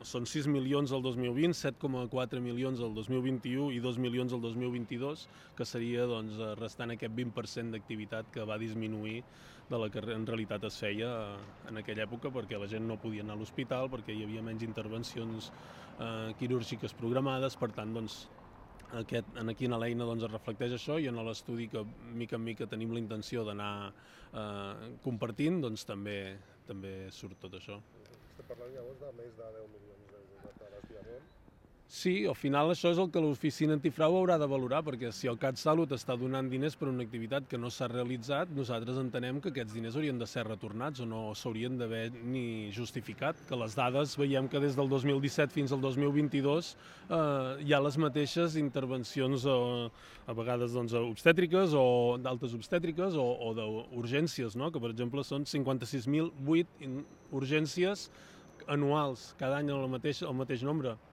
són 6 milions el 2020, 7,4 milions el 2021 i 2 milions el 2022, que seria doncs, restant aquest 20% d'activitat que va disminuir de la que en realitat es feia en aquella època, perquè la gent no podia anar a l'hospital, perquè hi havia menys intervencions quirúrgiques programades. Per tant, doncs, aquí en l'eina doncs, es reflecteix això, i en l'estudi que mica en mica tenim la intenció d'anar compartint, doncs també surt tot això. Estem parlant llavors de més de 10 milions d'euros de desviament. Sí, al final això és el que l'oficina antifrau haurà de valorar, perquè si el CatSalut està donant diners per una activitat que no s'ha realitzat, nosaltres entenem que aquests diners haurien de ser retornats o no s'haurien d'haver ni justificat, que les dades veiem que des del 2017 fins al 2022 hi ha les mateixes intervencions a vegades doncs, obstètriques o d'altes obstètriques o d'urgències, no? Que per exemple són 56.008 urgències anuals, cada any el mateix nombre.